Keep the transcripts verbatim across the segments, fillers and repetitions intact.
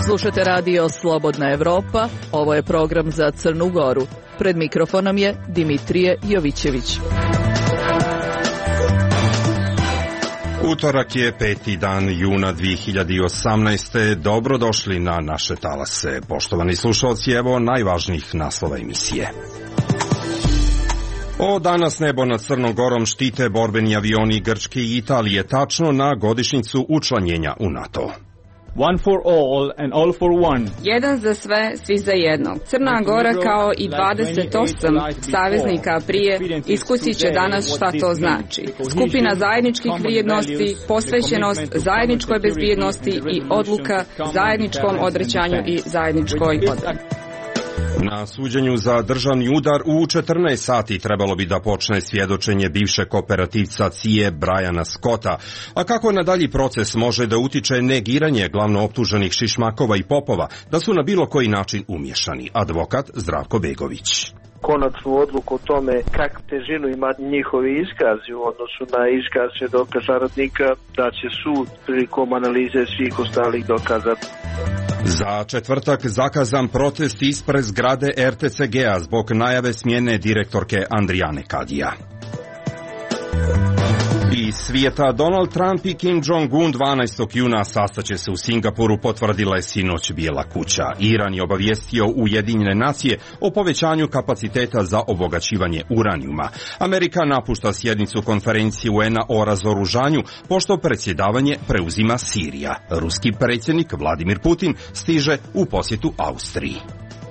Slušate radio Slobodna Evropa, ovo je program za Crnu Goru. Pred mikrofonom je Dimitrije Jovićević. Utorak je peti dan juna dvije hiljade osamnaeste. Dobrodošli na naše talase. Poštovani slušalci, evo najvažnijih naslova emisije. O danas nebo nad Crnom Gorom štite borbeni avioni Grčke i Italije tačno na godišnjicu učlanjenja u NATO. One for all and all for one. Jedan za sve, svi za jednog. Crna Gora kao i dvadeset osam saveznika prije iskusit će danas šta to znači. Skupina zajedničkih vrijednosti, posvećenost zajedničkoj bezbjednosti i odluka zajedničkom odrećanju i zajedničkoj odbrani. Na suđenju za državni udar u četrnaest sati trebalo bi da počne svjedočenje bivšeg operativca C I A Briana Scotta. A kako na dalji proces može da utiče negiranje glavno optuženih Šišmakova i Popova da su na bilo koji način umješani? Advokat Zdravko Begović. Konačnu odluku o tome kak težinu ima njihovi iskazi u odnosu na iskaz svjedoka saradnika da će sud prilikom analize svih ostalih dokaza. Za četvrtak zakazan protest ispred zgrade R T C G-a zbog najave smjene direktorke Andrijane Kadija. Iz svijeta, Donald Trump i Kim Jong-un dvanaestog juna sastaće se u Singapuru, potvrdila je sinoć Bijela kuća. Iran je obavijestio Ujedinjene nacije o povećanju kapaciteta za obogaćivanje uranijuma. Amerika napušta sjednicu konferencije U N-a o razoružanju, pošto predsjedavanje preuzima Sirija. Ruski predsjednik Vladimir Putin stiže u posjetu Austriji.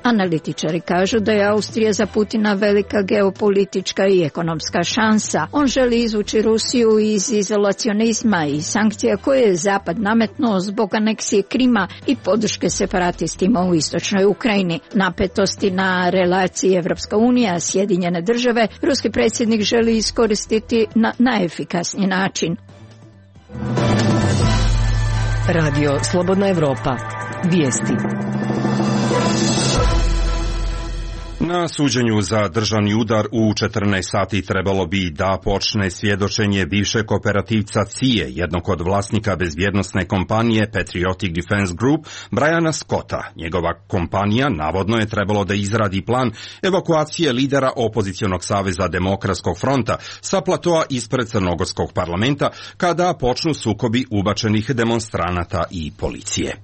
Analitičari kažu da je Austrija za Putina velika geopolitička i ekonomska šansa. On želi izvući Rusiju iz izolacionizma i sankcija koje je Zapad nametnuo zbog aneksije Krima i podrške separatistima u istočnoj Ukrajini. Napetosti na relaciji Evropska unija, Sjedinjene države, ruski predsjednik želi iskoristiti na najefikasniji način. Radio Slobodna Evropa. Vijesti. Na suđenju za državni udar u četrnaest sati trebalo bi da počne svjedočenje bivšeg operativca C I A, jednog od vlasnika bezbjednosne kompanije Patriotic Defense Group, Briana Scotta. Njegova kompanija navodno je trebalo da izradi plan evakuacije lidera opozicionog saveza Demokratskog fronta sa platoa ispred Crnogorskog parlamenta kada počnu sukobi ubačenih demonstranata i policije.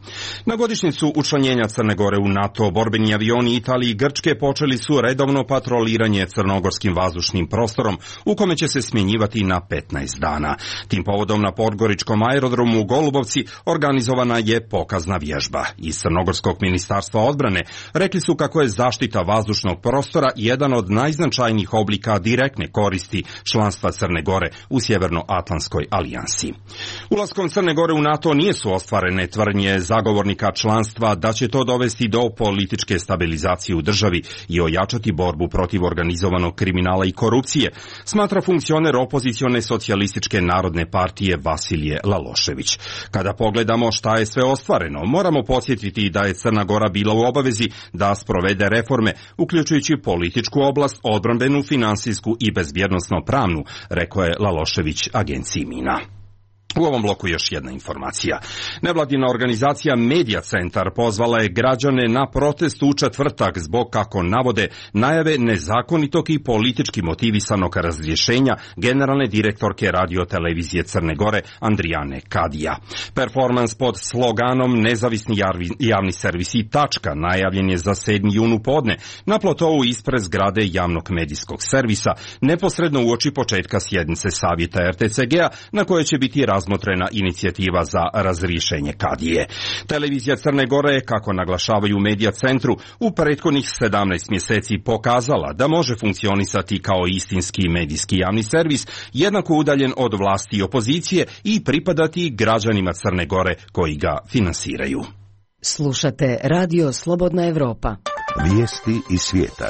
Na godišnjicu učlanjenja Crne Gore u NATO, borbeni avioni Italije i Grčke počeli su redovno patroliranje crnogorskim vazdušnim prostorom u kome će se smjenjivati na petnaest dana. Tim povodom na Podgoričkom aerodromu u Golubovci organizovana je pokazna vježba. Iz Crnogorskog ministarstva odbrane rekli su kako je zaštita vazdušnog prostora jedan od najznačajnijih oblika direktne koristi članstva Crne Gore u Sjevernoatlantskoj alijansi. Ulaskom Crne Gore u NATO nije su ostvarene tvrdnje zagovornika članstva da će to dovesti do političke stabilizacije u državi i ojačati borbu protiv organizovanog kriminala i korupcije, smatra funkcioner opozicione socijalističke narodne partije Vasilije Lalošević. Kada pogledamo šta je sve ostvareno, moramo podsjetiti da je Crna Gora bila u obavezi da sprovede reforme, uključujući političku oblast, odbrambenu, finansijsku i bezbjednosno pravnu, rekao je Lalošević agenciji Mina. U ovom bloku još jedna informacija. Nevladina organizacija Media Centar pozvala je građane na protest u četvrtak zbog, kako navode, najave nezakonitog i politički motivisanog razrješenja generalne direktorke radiotelevizije Crne Gore Andrijane Kadija. Performans pod sloganom Nezavisni javni servis i tačka najavljen je za sedmi jun u podne na plotovu ispred zgrade javnog medijskog servisa, neposredno uoči početka sjednice savjeta R T C G-a na kojoj će biti razmotrena inicijativa za razrješenje Kadije. Televizija Crne Gore je, kako naglašavaju u Media Centru, u prethodnih sedamnaest mjeseci pokazala da može funkcionisati kao istinski medijski javni servis, jednako udaljen od vlasti i opozicije i pripadati građanima Crne Gore koji ga finansiraju. Slušate Radio Slobodna Evropa. Vijesti iz svijeta.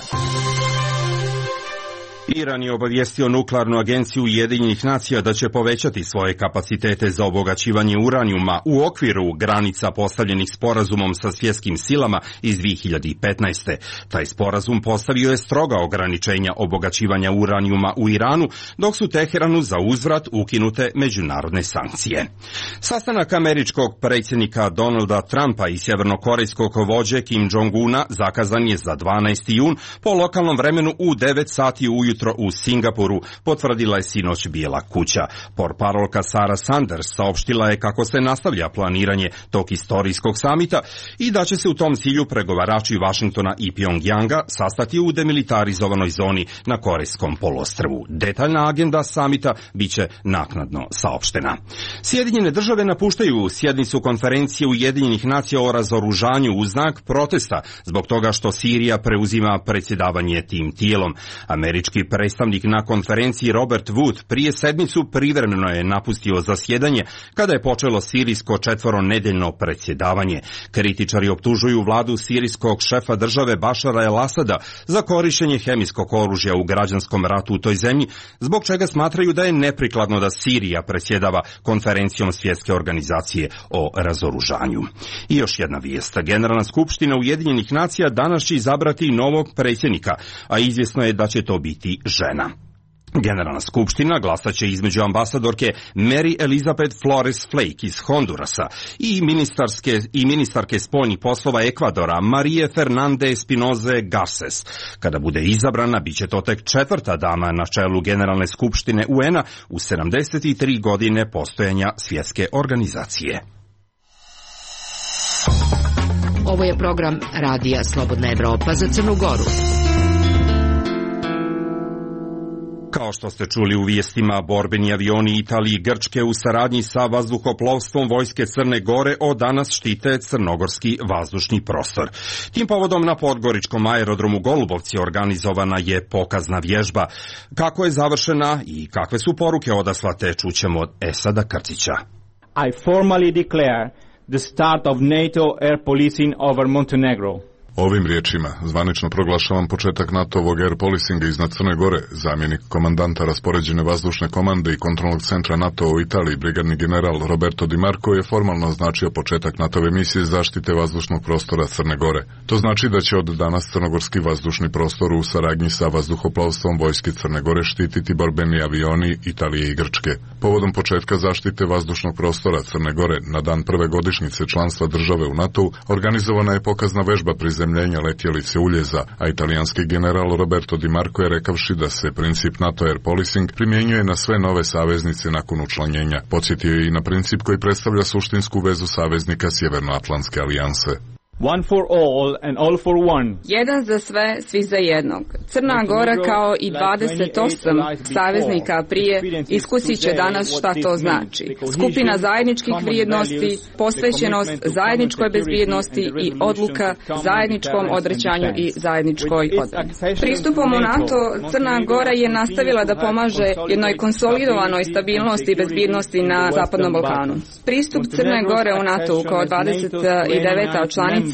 Iran je obavijestio nuklearnu agenciju Ujedinjenih nacija da će povećati svoje kapacitete za obogaćivanje uranijuma u okviru granica postavljenih sporazumom sa svjetskim silama iz dvije hiljade petnaeste. Taj sporazum postavio je stroga ograničenja obogaćivanja uranijuma u Iranu, dok su Teheranu za uzvrat ukinute međunarodne sankcije. Sastanak američkog predsjednika Donalda Trumpa i sjevernokorejskog vođe Kim Jong-una zakazan je za dvanaesti jun po lokalnom vremenu u devet sati ujutro u Singapuru, potvrdila je sinoć Bijela kuća. Portparolka Sarah Sanders saopštila je kako se nastavlja planiranje tog istorijskog samita i da će se u tom cilju pregovarači Vašingtona i Pjongjanga sastati u demilitarizovanoj zoni na Korejskom poluostrvu. Detaljna agenda samita biće naknadno saopštena. Sjedinjene države napuštaju sjednicu konferencije Ujedinjenih nacija o razoružanju u znak protesta zbog toga što Sirija preuzima predsjedavanje tim tijelom. Američki predstavnik na konferenciji Robert Wood prije sedmicu privremeno je napustio zasjedanje kada je počelo sirijsko četvoronedeljno predsjedavanje. Kritičari optužuju vladu sirijskog šefa države Bašara el-Asada za korištenje hemijskog oružja u građanskom ratu u toj zemlji, zbog čega smatraju da je neprikladno da Sirija predsjedava konferencijom Svjetske organizacije o razoružanju. I još jedna vijest. Generalna skupština Ujedinjenih nacija danas će izabrati novog predsjednika, a izvjesno je da će to biti žena. Generalna skupština glasat će između ambasadorke Mary Elizabeth Flores Flake iz Hondurasa i ministarske, i ministarke spoljnih poslova Ekvadora Marije Fernande Espinoze Garces. Kada bude izabrana, bit će to tek četvrta dama na čelu Generalne skupštine U N-a u sedamdeset tri godine postojanja svjetske organizacije. Ovo je program Radija Slobodna Evropa za Crnu Goru. Kao što ste čuli u vijestima, borbeni avioni Italije i Grčke u saradnji sa vazduhoplovstvom vojske Crne Gore od danas štite crnogorski vazdušni prostor. Tim povodom na podgoričkom aerodromu Golubovci organizovana je pokazna vježba. Kako je završena i kakve su poruke odaslate, čućemo od Esada Krcića. I formally declare the start of NATO air policing over Montenegro. Ovim riječima zvanično proglašavam početak NATO-ovog air policinga iznad Crne Gore. Zamjenik komandanta raspoređene vazdušne komande i kontrolnog centra NATO u Italiji, brigadni general Roberto Di Marco, je formalno označio početak NATO-ove misije zaštite vazdušnog prostora Crne Gore. To znači da će od danas crnogorski vazdušni prostor u saradnji sa vazduhoplovstvom vojske Crne Gore štititi borbeni avioni Italije i Grčke. Povodom početka zaštite vazdušnog prostora Crne Gore na dan prve godišnjice članstva države u NATO-u organizovana je pokazna vežba prizemljenja letjelice Uljeza, a italijanski general Roberto Di Marco je rekavši da se princip NATO air policing primjenjuje na sve nove saveznice nakon učlanjenja. Podsjetio je i na princip koji predstavlja suštinsku vezu saveznika Sjevernoatlantske alijanse. One for all and all for one. Jedan za sve, svi za jednog. Crna Gora kao i dvadeset osam saveznika prije iskusit će danas šta to znači. Skupina zajedničkih vrijednosti, posvećenost zajedničkoj bezbjednosti i odluka zajedničkom odrećanju i zajedničkoj odbrani. Pristupom u NATO Crna Gora je nastavila da pomaže jednoj konsolidovanoj stabilnosti i bezbjednosti na Zapadnom Balkanu. Pristup Crne Gore u NATO kao dvadeset deveta članica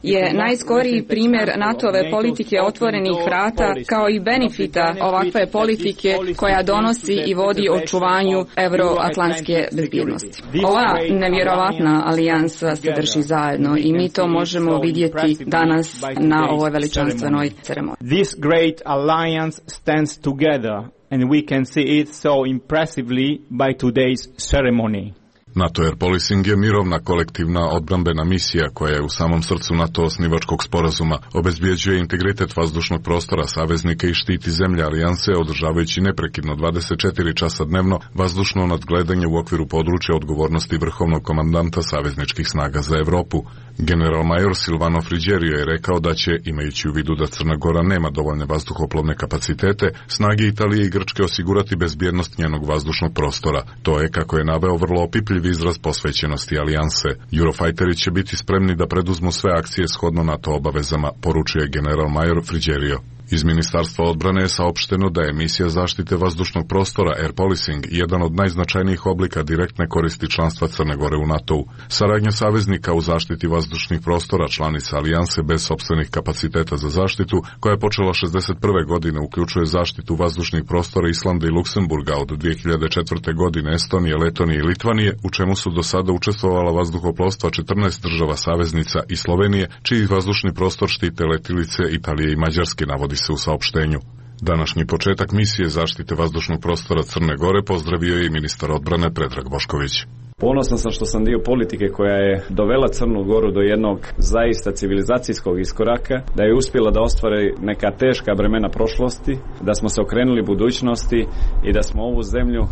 je najskoriji primjer NATO-ove politike otvorenih vrata kao i benefita ovakve politike koja donosi i vodi očuvanju euroatlantske bezbjednosti. Ova nevjerovatna alijansa se drži zajedno i mi to možemo vidjeti danas na ovoj veličanstvenoj ceremoniji. This great alliance stands together and we can see it so impressively by today's ceremony. NATO air policing je mirovna kolektivna odbrambena misija koja je u samom srcu NATO osnivačkog sporazuma, obezbjeđuje integritet vazdušnog prostora saveznika i štiti zemlje alijanse, održavajući neprekidno dvadeset četiri časa dnevno vazdušno nadgledanje u okviru područja odgovornosti vrhovnog komandanta savezničkih snaga za Europu. General major Silvano Frigerio je rekao da će, imajući u vidu da Crna Gora nema dovoljne vazduhoplovne kapacitete, snage Italije i Grčke osigurati bezbjednost njenog vazdušnog prostora. To je, kako je naveo, vrlo opipljiv izraz posvećenosti alijanse. Eurofighteri će biti spremni da preduzmu sve akcije shodno NATO obavezama, poručuje general major Frigerio. Iz Ministarstva odbrane je saopšteno da je misija zaštite vazdušnog prostora Air Policing jedan od najznačajnijih oblika direktne koristi članstva Crne Gore u NATO-u. Saradnja saveznika u zaštiti vazdušnih prostora članica alijanse bez sopstvenih kapaciteta za zaštitu, koja je počela šezdeset prve godine, uključuje zaštitu vazdušnih prostora Islanda i Luksemburga od dvije hiljade četvrte. godine, Estonije, Letonije i Litvanije, u čemu su do sada učestvovala vazduhoplovstva četrnaest država saveznica i Slovenije, čiji vazdušni prostor štite letilice Italije i Mađarske, navodi se u saopštenju. Današnji početak misije zaštite vazdušnog prostora Crne Gore pozdravio je i ministar odbrane Predrag Bošković. Ponosan sam što sam dio politike koja je dovela Crnu Goru do jednog zaista civilizacijskog iskoraka, da je uspjela da ostvari neka teška bremena prošlosti, da smo se okrenuli budućnosti i da smo ovu zemlju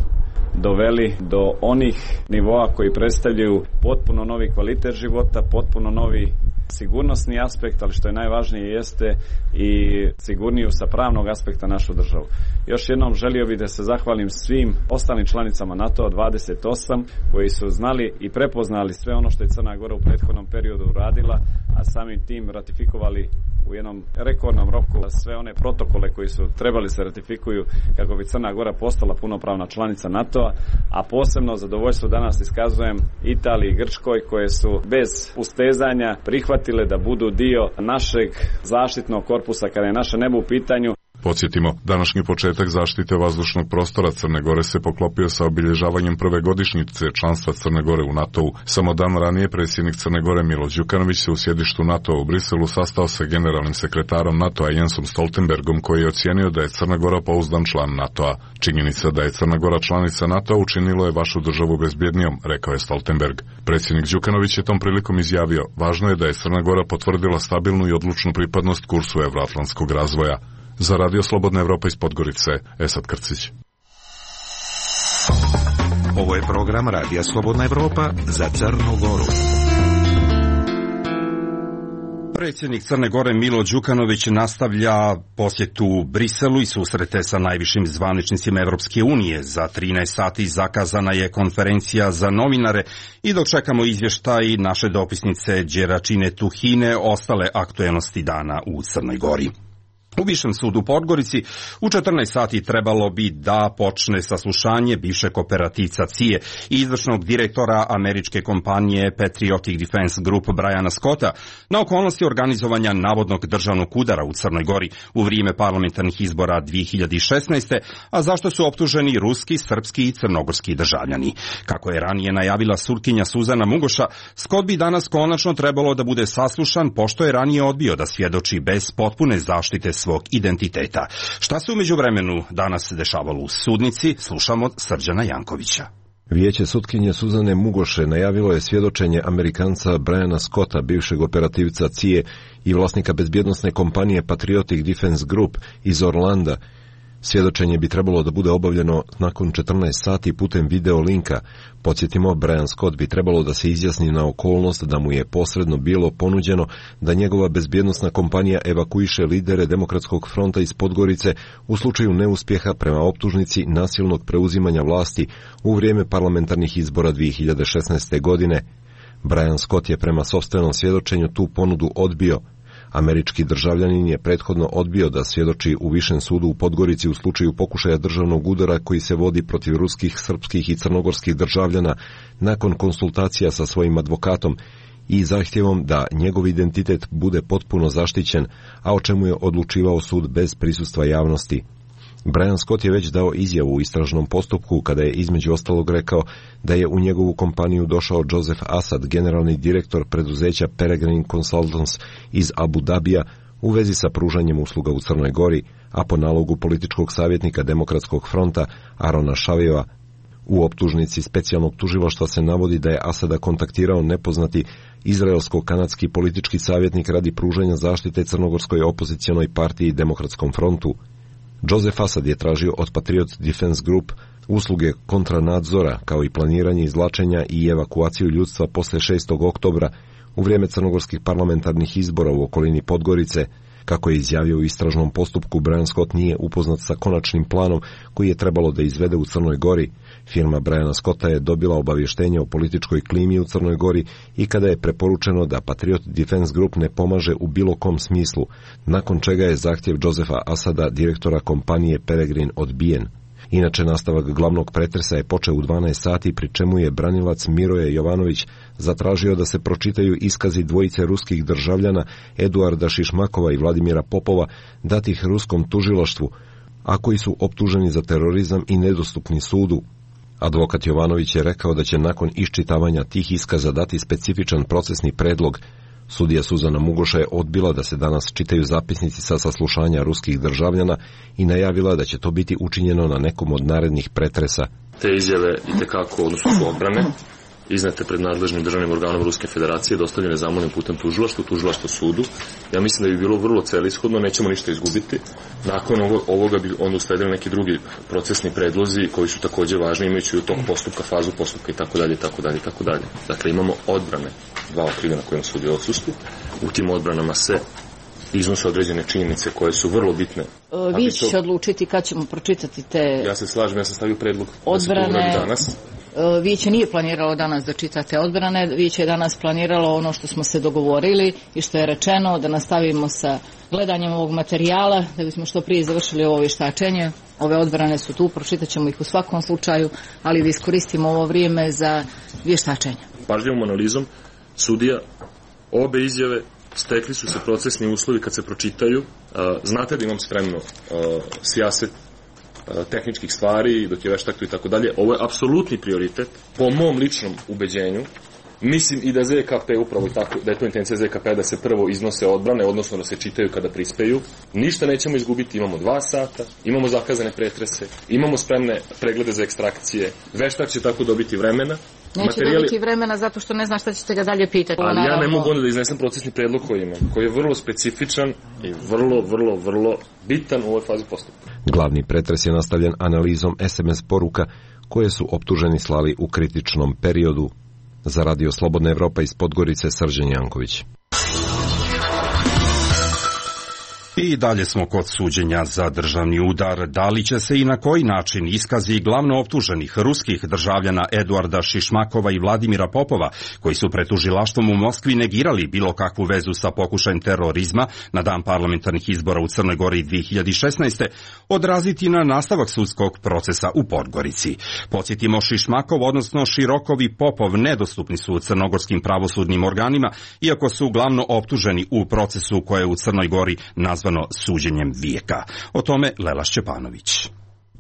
doveli do onih nivoa koji predstavljaju potpuno novi kvalitet života, potpuno novi sigurnosni aspekt, ali što je najvažnije jeste i sigurniju sa pravnog aspekta našu državu. Još jednom želio bih da se zahvalim svim ostalim članicama NATO dvadeset osam koji su znali i prepoznali sve ono što je Crna Gora u prethodnom periodu uradila, a samim tim ratifikovali u jednom rekordnom roku sve one protokole koji su trebali se ratifikuju kako bi Crna Gora postala punopravna članica NATO-a, a posebno zadovoljstvo danas iskazujem Italiji i Grčkoj koje su bez ustezanja prihvatile da budu dio našeg zaštitnog korpusa kada je naše nebo u pitanju. Podsjetimo, današnji početak zaštite vazdušnog prostora Crne Gore se poklopio sa obilježavanjem prve godišnjice članstva Crne Gore u NATO-u. Samo dan ranije predsjednik Crne Gore Milo Đukanović se u sjedištu NATO-a u Briselu sastao sa generalnim sekretarom NATO-a Jensom Stoltenbergom, koji je ocijenio da je Crna Gora pouzdan član NATO-a. Činjenica da je Crna Gora članica NATO-a učinilo je vašu državu bezbjednijom, rekao je Stoltenberg. Predsjednik Đukanović je tom prilikom izjavio: važno je da je Crna Gora potvrdila stabilnu i odlučnu pripadnost kursu evroatlantskog razvoja. Za Radio Slobodna Evropa iz Podgorice, Esad Krcić. Ovo je program Radija Slobodna Evropa za Crnu Goru. Predsjednik Crne Gore Milo Đukanović nastavlja posjetu Briselu i susrete sa najvišim zvaničnicima Evropske unije. Za trinaest sati zakazana je konferencija za novinare i dok čekamo izvještaj naše dopisnice Đeračine Tuhine, ostale aktuelnosti dana u Crnoj Gori. U Višem sudu u Podgorici u četrnaest sati trebalo bi da počne saslušanje bivšeg operativca C I A i izvršnog direktora američke kompanije Patriotic Defense Group Briana Scotta na okolnosti organizovanja navodnog državnog udara u Crnoj Gori u vrijeme parlamentarnih izbora dvije hiljade šesnaeste. a zašto su optuženi ruski, srpski i crnogorski državljani. Kako je ranije najavila sutkinja Suzana Mugoša, Scott bi danas konačno trebalo da bude saslušan, pošto je ranije odbio da svjedoči bez potpune zaštite svog identiteta. Šta se u međuvremenu danas dešavalo u sudnici, slušamo Srđana Jankovića. Vijeće sutkinje Suzane Mugoše najavilo je svjedočenje Amerikanca Briana Scotta, bivšeg operativca C I A i vlasnika bezbjednosne kompanije Patriotic Defense Group iz Orlanda. Svjedočenje bi trebalo da bude obavljeno nakon četrnaest sati putem video linka. Podsjetimo, Brian Scott bi trebalo da se izjasni na okolnost da mu je posredno bilo ponuđeno da njegova bezbjednosna kompanija evakuiše lidere Demokratskog fronta iz Podgorice u slučaju neuspjeha prema optužnici nasilnog preuzimanja vlasti u vrijeme parlamentarnih izbora dvije hiljade šesnaeste. godine. Brian Scott je prema sopstvenom svjedočenju tu ponudu odbio. Američki državljanin je prethodno odbio da svjedoči u Višem sudu u Podgorici u slučaju pokušaja državnog udara koji se vodi protiv ruskih, srpskih i crnogorskih državljana nakon konsultacija sa svojim advokatom i zahtjevom da njegov identitet bude potpuno zaštićen, a o čemu je odlučivao sud bez prisustva javnosti. Brian Scott je već dao izjavu u istražnom postupku kada je između ostalog rekao da je u njegovu kompaniju došao Joseph Assad, generalni direktor preduzeća Peregrine Consultants iz Abu Dabija, u vezi sa pružanjem usluga u Crnoj Gori, a po nalogu političkog savjetnika Demokratskog fronta Arona Šavijeva. U optužnici specijalnog tužilaštva se navodi da je Asada kontaktirao nepoznati izraelsko-kanadski politički savjetnik radi pružanja zaštite crnogorskoj opozicijonoj partiji Demokratskom frontu. Joseph Assad je tražio od Patriot Defense Group usluge kontranadzora, kao i planiranje izvlačenja i evakuaciju ljudstva posle šestog oktobra u vrijeme crnogorskih parlamentarnih izbora u okolini Podgorice, Kako je izjavio u istražnom postupku, Brian Scott nije upoznat sa konačnim planom koji je trebalo da izvede u Crnoj Gori. Firma Briana Scotta je dobila obavještenje o političkoj klimi u Crnoj Gori i kada je preporučeno da Patriot Defense Group ne pomaže u bilo kom smislu, nakon čega je zahtjev Josefa Asada, direktora kompanije Peregrine, odbijen. Inače, nastavak glavnog pretresa je počeo u dvanaest sati, pri čemu je branilac Miroje Jovanović zatražio da se pročitaju iskazi dvojice ruskih državljana Eduarda Šišmakova i Vladimira Popova, datih ruskom tužilaštvu, a koji su optuženi za terorizam i nedostupni sudu. Advokat Jovanović je rekao da će nakon iščitavanja tih iskaza dati specifičan procesni predlog. Sudija Suzana Mugoša je odbila da se danas čitaju zapisnici sa saslušanja ruskih državljana i najavila da će to biti učinjeno na nekom od narednih pretresa. Te izjave itekako, odnosno su odbrane, iznete pred nadležnim državnim organom Ruske federacije, dostavljene zamolnim putem tužilaštvu, tužilaštvo sudu. Ja mislim da bi bilo vrlo celishodno, nećemo ništa izgubiti. Nakon ovoga bi onda usledili neki drugi procesni predlozi koji su također važni, imajući u tog postupka, fazu postupka itd. itd. itd. Dakle, imamo odbrane, dva okrivljena kojima sudi odsustvu. U tim odbranama se iznose određene činjenice koje su vrlo bitne. Vi ćete to... odlučiti kad ćemo pročitati te... Ja se slažem, ja sam stavio predlog odbrane... da se to uradi danas. Vijeće nije planiralo danas da čitate odbrane, Vijeće je danas planiralo ono što smo se dogovorili i što je rečeno, da nastavimo sa gledanjem ovog materijala, da bismo što prije završili ovo vještačenje. Ove odbrane su tu, pročitat ćemo ih u svakom slučaju, ali da iskoristimo ovo vrijeme za vještačenje. Pažljivom analizom sudija obe izjave stekli su se procesni uslovi kad se pročitaju. Znate da imam spremno sijaset tehničkih stvari, dok je veštak tu i tako dalje. Ovo je apsolutni prioritet, po mom ličnom ubeđenju. Mislim i da Z K P upravo i tako, da je to intencija Z K P da se prvo iznose odbrane, odnosno da se čitaju kada prispeju. Ništa nećemo izgubiti, imamo dva sata, imamo zakazane pretrese, imamo spremne preglede za ekstrakcije, veštak će tako dobiti vremena. Neće Materijali... dobiti vremena zato što ne zna šta ćete ga dalje pitati. Ali ja ne mogu onda da iznesem procesni predlog koji imam, koji je vrlo specifičan i vrlo, vrlo, vrlo bitan u ovoj fazi postupka. Glavni pretres je nastavljen analizom S M S poruka koje su optuženi slali u kritičnom periodu. Za Radio Slobodna Evropa iz Podgorice, Srđan Janković. I dalje smo kod suđenja za državni udar. Da li će se i na koji način iskazi glavno optuženih ruskih državljana Eduarda Šišmakova i Vladimira Popova, koji su pred tužilaštvom u Moskvi negirali bilo kakvu vezu sa pokušajem terorizma na dan parlamentarnih izbora u Crnoj Gori dvije hiljade šesnaeste. odraziti na nastavak sudskog procesa u Podgorici? Podsjetimo, Šišmakov, odnosno Širokov i Popov nedostupni su crnogorskim pravosudnim organima, iako su glavno optuženi u procesu koje je u Crnoj Gori nazvano suđenjem vijeka. O tome Lela Šćepanović.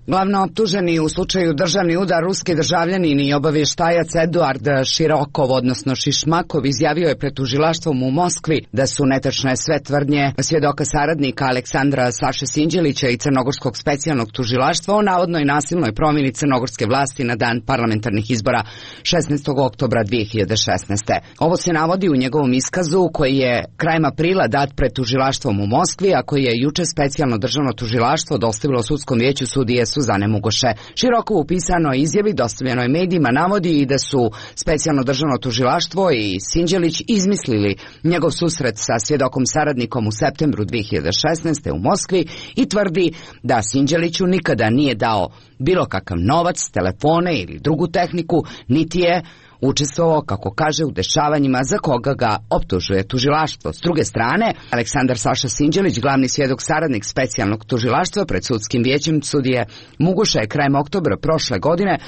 Glavno optuženi u slučaju državni udar ruski državljanin i obavještajac Eduard Širokov, odnosno Šišmakov, izjavio je pred tužilaštvom u Moskvi da su netačne sve tvrdnje svjedoka saradnika Aleksandra Saše Sinđelića i Crnogorskog specijalnog tužilaštva o navodnoj nasilnoj promjeni crnogorske vlasti na dan parlamentarnih izbora šesnaestog oktobra dvije hiljade šesnaeste. Ovo se navodi u njegovom iskazu koji je krajem aprila dat pred tužilaštvom u Moskvi, a koji je juče specijalno državno tužilaštvo dostavilo sudskom vijeću sudije Suzane Mugoše. Širokov u pisanoj izjavi dostavljenoj medijima navodi i da su specijalno državno tužilaštvo i Sinđelić izmislili njegov susret sa svjedokom saradnikom u septembru dvije hiljade šesnaeste u Moskvi i tvrdi da Sinđeliću nikada nije dao bilo kakav novac, telefone ili drugu tehniku, niti je učestvovao, kako kaže, u dešavanjima za koga ga optužuje tužilaštvo. S druge strane, Aleksandar Saša Sinđelić, glavni svjedok saradnik specijalnog tužilaštva pred sudskim vijećem sudije Mugoša, je krajem oktobra prošle godine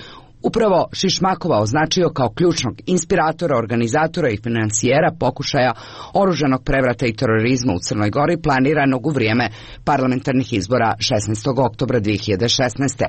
upravo Šišmakova označio kao ključnog inspiratora, organizatora i financijera pokušaja oružanog prevrata i terorizma u Crnoj Gori planiranog u vrijeme parlamentarnih izbora šesnaestog oktobra dvije hiljade šesnaeste.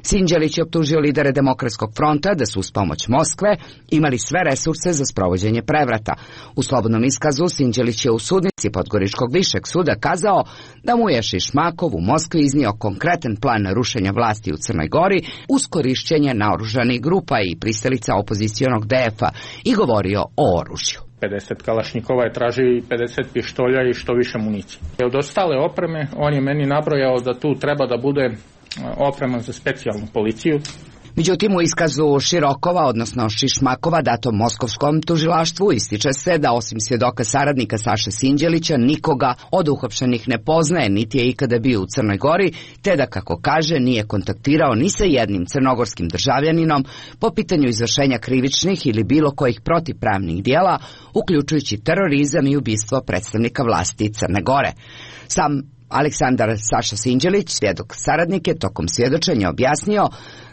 Sinđelić je optužio lidere Demokratskog fronta da su uz pomoć Moskve imali sve resurse za sprovođenje prevrata. U slobodnom iskazu Sinđelić je u sudnici Podgoričkog višeg suda kazao da mu je Šišmakov u Moskvi iznio konkretan plan rušenja vlasti u Crnoj Gori uz korišćenje naoružanih grupa i pristalica opozicionog D F-a i govorio o oružju. pedeset kalašnjikova je tražio i pedeset pištolja i što više municije. Od ostale opreme on je meni nabrojao da tu treba da bude oprema za specijalnu policiju. Međutim, u iskazu Širokova, odnosno Šišmakova, datom moskovskom tužilaštvu, ističe se da osim svjedoka saradnika Saše Sinđelića nikoga od uhapšenih ne poznaje, niti je ikada bio u Crnoj Gori, te da, kako kaže, nije kontaktirao ni sa jednim crnogorskim državljaninom po pitanju izvršenja krivičnih ili bilo kojih protivpravnih dijela, uključujući terorizam i ubistvo predstavnika vlasti Crne Gore. Sam Aleksandar Saša Sinđelić, svjedok saradnik, je tokom svjedočenja objasnio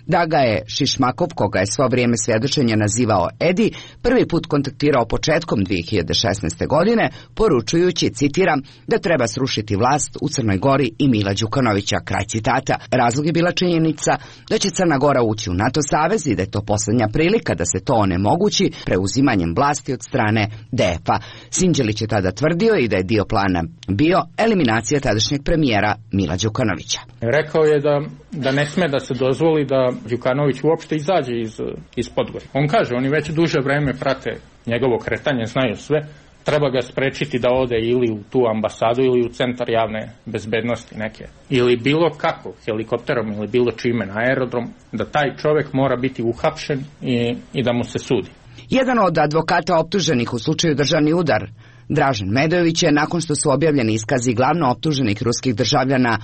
da ga je Šišmakov, koga je svo vrijeme svjedočenja nazivao Edi, prvi put kontaktirao početkom dvije hiljade šesnaeste. godine, poručujući, citiram, da treba srušiti vlast u Crnoj Gori i Mila Đukanovića, kraj citata. Razlog je bila činjenica da će Crna Gora ući u NATO savez i da je to posljednja prilika da se to onemogući preuzimanjem vlasti od strane D F A. Sinđelić je tada tvrdio i da je dio plana bio eliminacija tadašnjeg premijera Mila Đukanovića. Rekao je da, da ne sme da se dozvoli da Đukanović uopšte izađe iz, iz Podgorja. On kaže, oni već duže vreme prate njegovo kretanje, znaju sve, treba ga sprečiti da ode ili u tu ambasadu ili u centar javne bezbednosti neke. Ili bilo kako, helikopterom ili bilo čime na aerodrom, da taj čovjek mora biti uhapšen i, i da mu se sudi. Jedan od advokata optuženih u slučaju državni udar, Dražen Medojević, je nakon što su objavljeni iskazi glavno optuženih ruskih državljana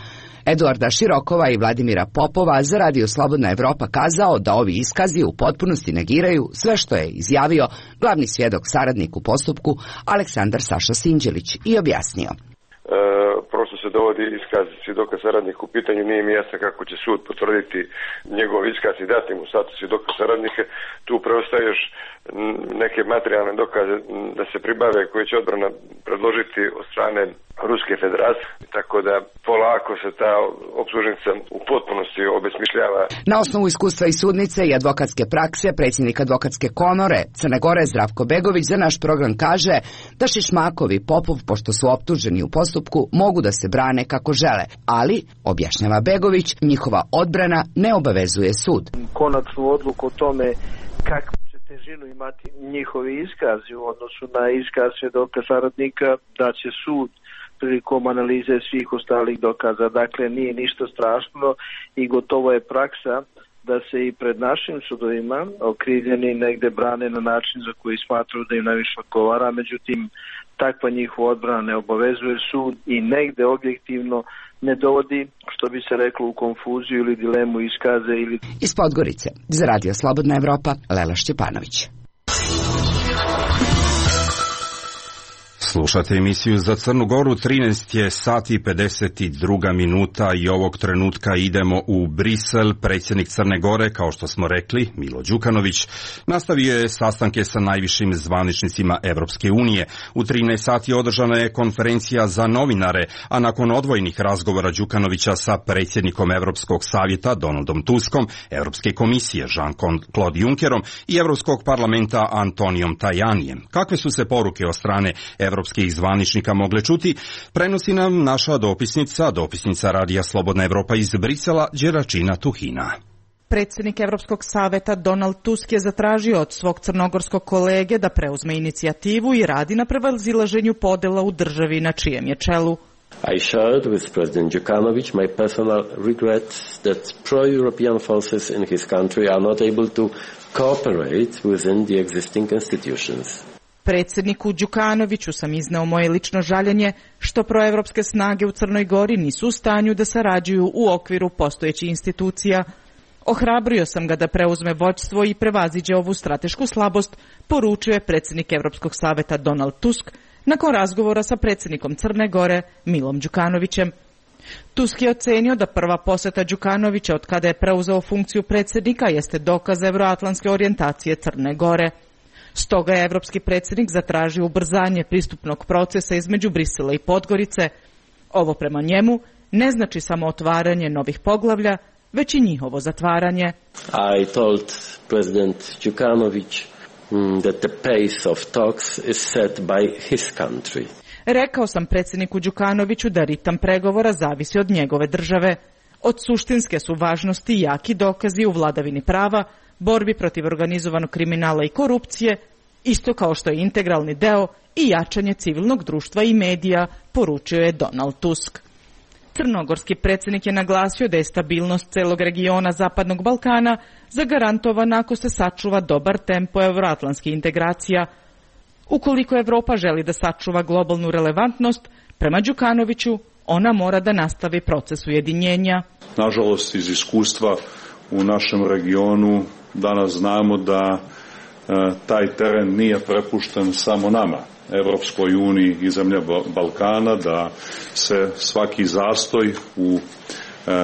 Eduarda Širokova i Vladimira Popova za Radio Slobodna Evropa kazao da ovi iskazi u potpunosti negiraju sve što je izjavio glavni svjedok saradnik u postupku Aleksandar Saša Sinđelić i objasnio. E, prosto se dovodi iskaz svjedoka saradnika u pitanju, nije mi jasno kako će sud potvrditi njegov iskaz i dati mu status svjedoka saradnika. Tu preostaje još neke materijalne dokaze da se pribave koje će odbrana predložiti od strane Ruske federacije, tako da polako se ta optužnica u potpunosti obesmišljava. Na osnovu iskustva i sudnice i advokatske prakse, predsjednik advokatske komore Crne Gore Zdravko Begović za naš program kaže da Šišmakov i Popov, pošto su optuženi u postupku, mogu da se brane kako žele, ali, objašnjava Begovič, njihova odbrana ne obavezuje sud. Konačnu odluku o tome kako će težinu imati njihovi iskazi u odnosu na iskaz svjedoka saradnika, da će sud prilikom analize svih ostalih dokaza. Dakle, nije ništa strašno i gotovo je praksa da se i pred našim sudovima okrivljeni negde brane na način za koji smatruju da im najviše odgovara, međutim, takva njihova odbrana ne obavezuje sud i negde objektivno ne dovodi, što bi se reklo, u konfuziju ili dilemu iskaze. Ili... Iz Podgorice, za Radio Slobodna Evropa, Lela Šćepanović. Slušate emisiju za Crnu Goru, trinaest je sati i pedeset dva minuta i ovog trenutka idemo u Brisel. Predsjednik Crne Gore, kao što smo rekli, Milo Đukanović, nastavio je sastanke sa najvišim zvaničnicima Evropske unije. U trinaest sati održana je konferencija za novinare, a nakon odvojenih razgovora Đukanovića sa predsjednikom Evropskog savjeta Donaldom Tuskom, Evropske komisije Jean-Claude Junckerom i Evropskog parlamenta Antonijom Tajanijem. Kakve su se poruke od strane evropskih zvaničnika mogle čuti, prenosi nam naša dopisnica, dopisnica Radija Slobodna Evropa iz Brisela, Đeračina Tuhina. Predsjednik Evropskog savjeta Donald Tusk je zatražio od svog crnogorskog kolege da preuzme inicijativu i radi na prevazilaženju podela u državi na čijem je čelu. I shared with President Đukanović my personal regret that pro-European forces in his country are not able to cooperate within the existing institutions. Predsjedniku Đukanoviću sam izneo moje lično žaljenje što proevropske snage u Crnoj Gori nisu u stanju da sarađuju u okviru postojećih institucija. Ohrabrio sam ga da preuzme vođstvo i prevaziđe ovu stratešku slabost, poručio je predsjednik Evropskog savjeta Donald Tusk nakon razgovora sa predsjednikom Crne Gore Milom Đukanovićem. Tusk je ocenio da prva posjeta Đukanovića od kada je preuzeo funkciju predsjednika jeste dokaz evroatlantske orijentacije Crne Gore. Stoga je evropski predsjednik zatražio ubrzanje pristupnog procesa između Brisela i Podgorice. Ovo prema njemu ne znači samo otvaranje novih poglavlja, već i njihovo zatvaranje. I told President Đukanović that the pace of talks is set by his country. Rekao sam predsjedniku Đukanoviću da ritam pregovora zavisi od njegove države. Od suštinske su važnosti jaki dokazi u vladavini prava, borbi protiv organizovanog kriminala i korupcije, isto kao što je integralni deo i jačanje civilnog društva i medija, poručio je Donald Tusk. Crnogorski predsjednik je naglasio da je stabilnost celog regiona Zapadnog Balkana zagarantovana ako se sačuva dobar tempo euroatlantskih integracija. Ukoliko Evropa želi da sačuva globalnu relevantnost, prema Đukanoviću, ona mora da nastavi proces ujedinjenja. Nažalost, iz iskustva u našem regionu danas znamo da e, taj teren nije prepušten samo nama, Evropskoj uniji i zemlja Balkana, da se svaki zastoj u e,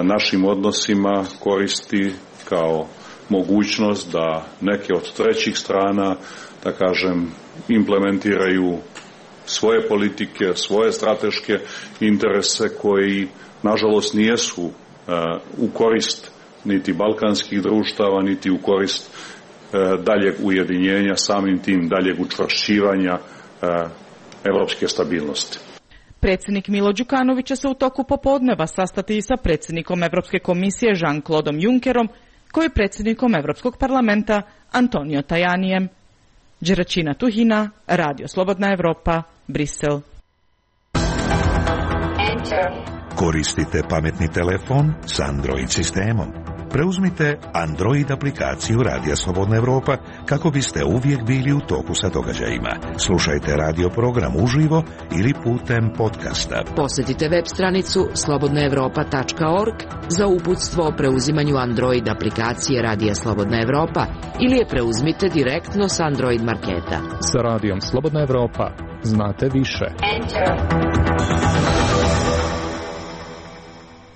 našim odnosima koristi kao mogućnost da neke od trećih strana, da kažem, implementiraju svoje politike, svoje strateške interese koji, nažalost, nijesu uh, u korist niti balkanskih društava, niti u korist uh, daljeg ujedinjenja, samim tim daljeg učvršćivanja uh, evropske stabilnosti. Predsjednik Milo Đukanović će se u toku popodneva sastati i sa predsjednikom Evropske komisije Jean-Claudeom Junckerom, koji je predsjednikom Evropskog parlamenta Antonio Tajanijem. Đeračina Tuhina, Radio Slobodna Evropa, Brisel. Koristite pametni telefon s Android sistemom. Preuzmite Android aplikaciju Radija Slobodna Evropa kako biste uvijek bili u toku sa događajima. Slušajte radio program uživo ili putem podcasta. Posjetite web stranicu slobodna evropa tačka org za uputstvo o preuzimanju Android aplikacije Radija Slobodna Evropa ili je preuzmite direktno s Android marketa. Sa Radijom Slobodna Evropa znate više.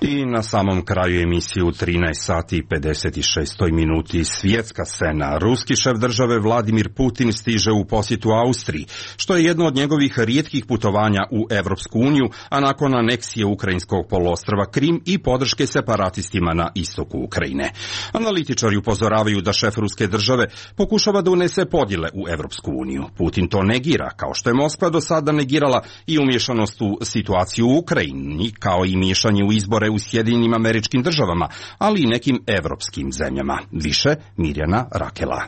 I na samom kraju emisije u trinaest sati i pedeset šest minuti svjetska scena. Ruski šef države Vladimir Putin stiže u posjetu Austriji, što je jedno od njegovih rijetkih putovanja u Evropsku uniju, a nakon aneksije ukrajinskog poluostrva Krim i podrške separatistima na istoku Ukrajine. Analitičari upozoravaju da šef ruske države pokušava da unese podjele u Evropsku uniju. Putin to negira, kao što je Moskva do sada negirala i umješanost u situaciju u Ukrajini, kao i miješanje u izbore u Sjedinjenim Američkim Državama, ali i nekim evropskim zemljama. Više Mirjana Rakela.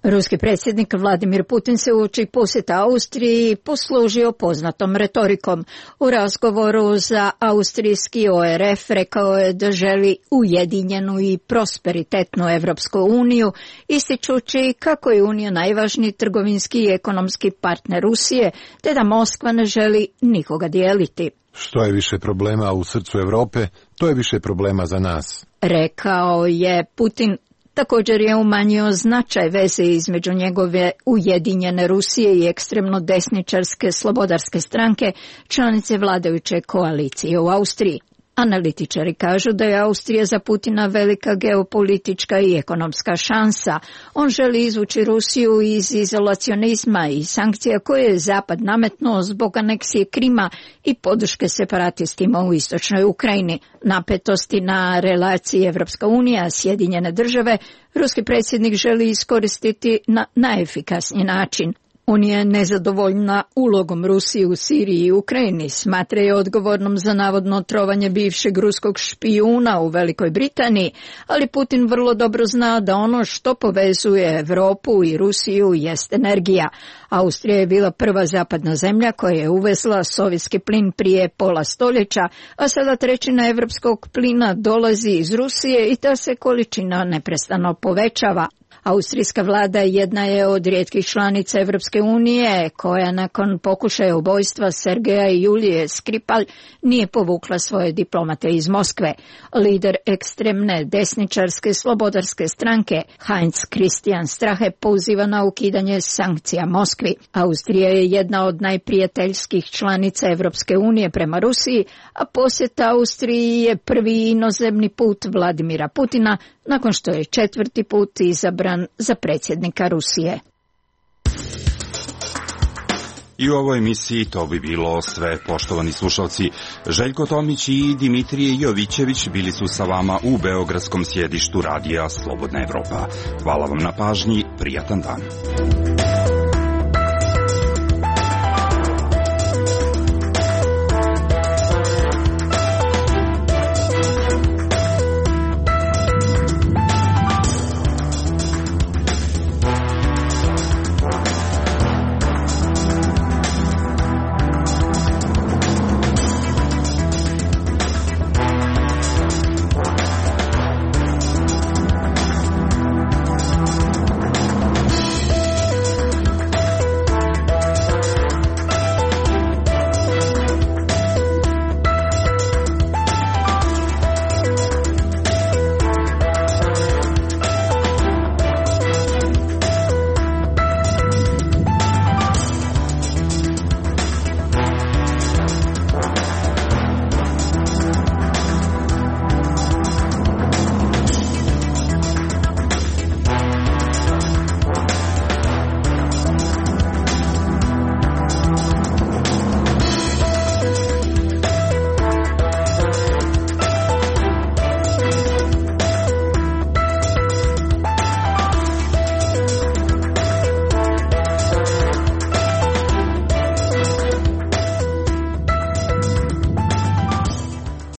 Ruski predsjednik Vladimir Putin se uoči posjeta Austriji poslužio poznatom retorikom. U razgovoru za austrijski O R F rekao je da želi ujedinjenu i prosperitetnu Evropsku uniju, ističući kako je Unija najvažniji trgovinski i ekonomski partner Rusije, te da Moskva ne želi nikoga dijeliti. Što je više problema u srcu Europe, to je više problema za nas. Rekao je Putin. Također je umanjio značaj veze između njegove ujedinjene Rusije i ekstremno desničarske slobodarske stranke, članice vladajuće koalicije u Austriji. Analitičari kažu da je Austrija za Putina velika geopolitička i ekonomska šansa. On želi izvući Rusiju iz izolacionizma i sankcija koje je Zapad nametnuo zbog aneksije Krima i podrške separatistima u istočnoj Ukrajini. Napetosti na relaciji Evropska unija, Sjedinjene države, ruski predsjednik želi iskoristiti na najefikasniji način. Unija je nezadovoljna ulogom Rusije u Siriji i Ukrajini, smatra je odgovornom za navodno trovanje bivšeg ruskog špijuna u Velikoj Britaniji, ali Putin vrlo dobro zna da ono što povezuje Europu i Rusiju jest energija. Austrija je bila prva zapadna zemlja koja je uvezla sovjetski plin prije pola stoljeća, a sada trećina evropskog plina dolazi iz Rusije i ta se količina neprestano povećava. Austrijska vlada jedna je od rijetkih članica Evropske unije koja nakon pokušaja ubojstva Sergeja i Julije Skripal nije povukla svoje diplomate iz Moskve. Lider ekstremne desničarske slobodarske stranke Heinz Christian Strache poziva na ukidanje sankcija Moskvi. Austrija je jedna od najprijateljskih članica Evropske unije prema Rusiji, a posjet Austriji je prvi inozemni put Vladimira Putina nakon što je četvrti put izabran za predsjednika Rusije. I u ovoj emisiji to bi bilo sve, poštovani slušalci. Željko Tomić i Dimitrije Jovićević bili su sa vama u beogradskom sjedištu Radija Slobodna Evropa. Hvala vam na pažnji, prijatan dan.